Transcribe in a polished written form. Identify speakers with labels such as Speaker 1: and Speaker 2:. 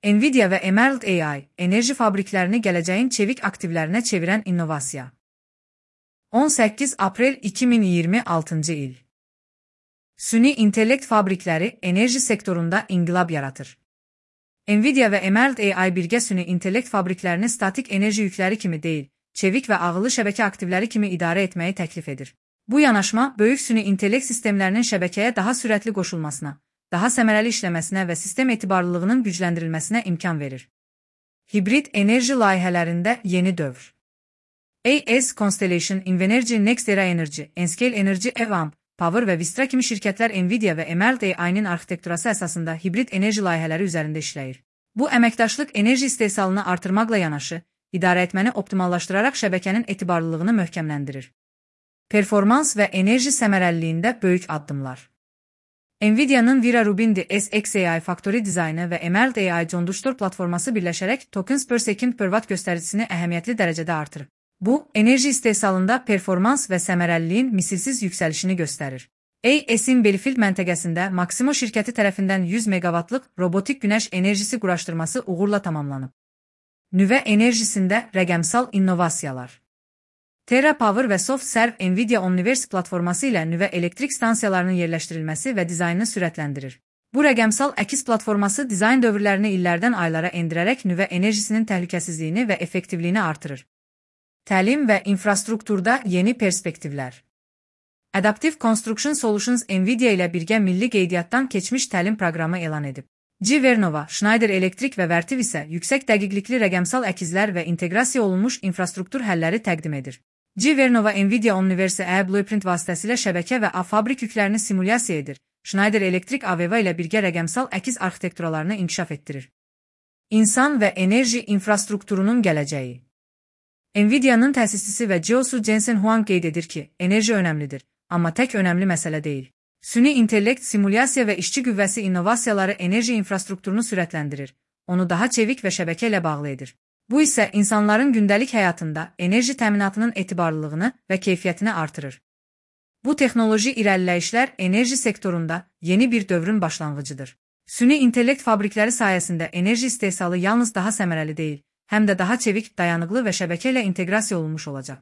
Speaker 1: Nvidia və Emerald AI, enerji fabriklərini gələcəyin çevik aktivlərinə çevirən innovasiya. 18 aprel 2026 il. Süni intellekt fabrikləri enerji sektorunda inqilab yaratır. Nvidia və Emerald AI birgə süni intellekt fabriklərini statik enerji yükləri kimi deyil, çevik və ağıllı şəbəkə aktivləri kimi idarə etməyi təklif edir. Bu yanaşma, böyük süni intellekt sistemlərinin şəbəkəyə daha sürətli qoşulmasına, daha səmərəli işləməsinə və sistem etibarlılığının gücləndirilməsinə imkan verir. Hibrid enerji layihələrində yeni dövr. AES Constellation, Invenergy, NextEra Energy, Enscale Energy, Evamp, Power və Vistra kimi şirkətlər Nvidia və Emerald AI-nin arxitekturası əsasında hibrid enerji layihələri üzərində işləyir. Bu, əməkdaşlıq enerji istehsalını artırmaqla yanaşı, idarəetməni optimallaşdıraraq şəbəkənin etibarlılığını möhkəmləndirir. Performans və enerji səmərəliliyində böyük addımlar. Nvidia'nın Vera Rubin DSX-AI Factory dizaynı və Emerald AI John Dushtor platforması birləşərək tokens per second per watt göstəricisini əhəmiyyətli dərəcədə artırır. Bu, enerji istehsalında performans və səmərəliliyin misilsiz yüksəlişini göstərir. AES-in Belfield məntəqəsində Maximo şirkəti tərəfindən 100 meqavatlıq robotik günəş enerjisi quraşdırması uğurla tamamlanıb. Nüvə enerjisində rəqəmsal innovasiyalar. Terra Power və SoftServe Nvidia Omniverse platforması ilə nüvə elektrik stansiyalarının yerləşdirilməsi və dizaynını sürətləndirir. Bu rəqəmsal əkiz platforması dizayn dövrlərini illərdən aylara endirərək nüvə enerjisinin təhlükəsizliyini və effektivliyini artırır. Təlim və infrastrukturda yeni perspektivlər. Adaptive Construction Solutions Nvidia ilə birgə milli qeydiyyatdan keçmiş təlim proqramı elan edib. G-Vernova, Schneider Electric və Vertiv isə yüksək dəqiqlikli rəqəmsal əkizlər və inteqrasiya olunmuş infrastruktur həlləri təqdim edir. G-Vernova Nvidia Omniverse AI Blueprint vasitəsilə şəbəkə və fabrik yüklərini simulyasiya edir. Schneider Electric AVEVA ilə birgə rəqəmsal əkiz arxitekturalarını inkişaf etdirir. İnsan və enerji infrastrukturunun gələcəyi. Nvidia'nın təsisçisi və CEO'su Jensen Huang qeyd edir ki, enerji önəmlidir, amma tək önəmli məsələ deyil. Süni intellekt, simulyasiya və işçi qüvvəsi innovasiyaları enerji infrastrukturunu sürətləndirir, onu daha çevik və şəbəkə ilə bağlı edir. Bu isə insanların gündəlik həyatında enerji təminatının etibarlılığını və keyfiyyətini artırır. Bu texnoloji irəliləyişlər enerji sektorunda yeni bir dövrün başlanğıcıdır. Süni intellekt fabrikləri sayəsində enerji istehsalı yalnız daha səmərəli deyil, həm də daha çevik, dayanıqlı və şəbəkə ilə inteqrasiya olunmuş olacaq.